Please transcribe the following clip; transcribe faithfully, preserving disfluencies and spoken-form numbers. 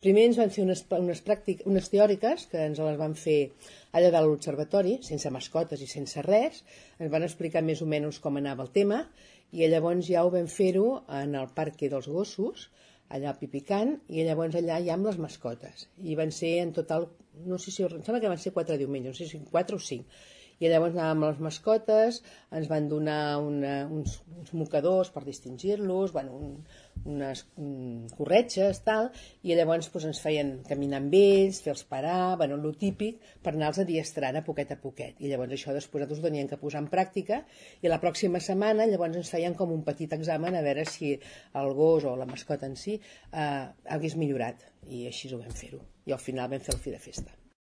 Primer ens van fer unes, unes, pràctic, unes teòriques, que ens les van fer allà dalt a l'observatori, sense mascotes i sense res. Ens van explicar més o menys com anava el tema, i llavors ja ho vam fer-ho en el Parque dels Gossos, allà a Pipicant, i llavors allà ja amb les mascotes. I van ser en total, no sé si, em sembla que van ser quatre diumenges, no sé si quatre o cinc. I llavors anàvem amb les mascotes, ens van donar una, uns, uns mocadors per distingir-los, bueno, un, unes um, corretges, tal, i llavors doncs, ens feien caminar amb ells, fer-los parar, bueno, el típic, per anar-los adiestrant a poquet a poquet. I llavors això després nosaltres ho teníem que posar en pràctica, i la pròxima setmana llavors ens feien com un petit examen a veure si el gos o la mascota en si eh, hagués millorat, i així ho vam fer-ho. I al final vam fer el fi de festa.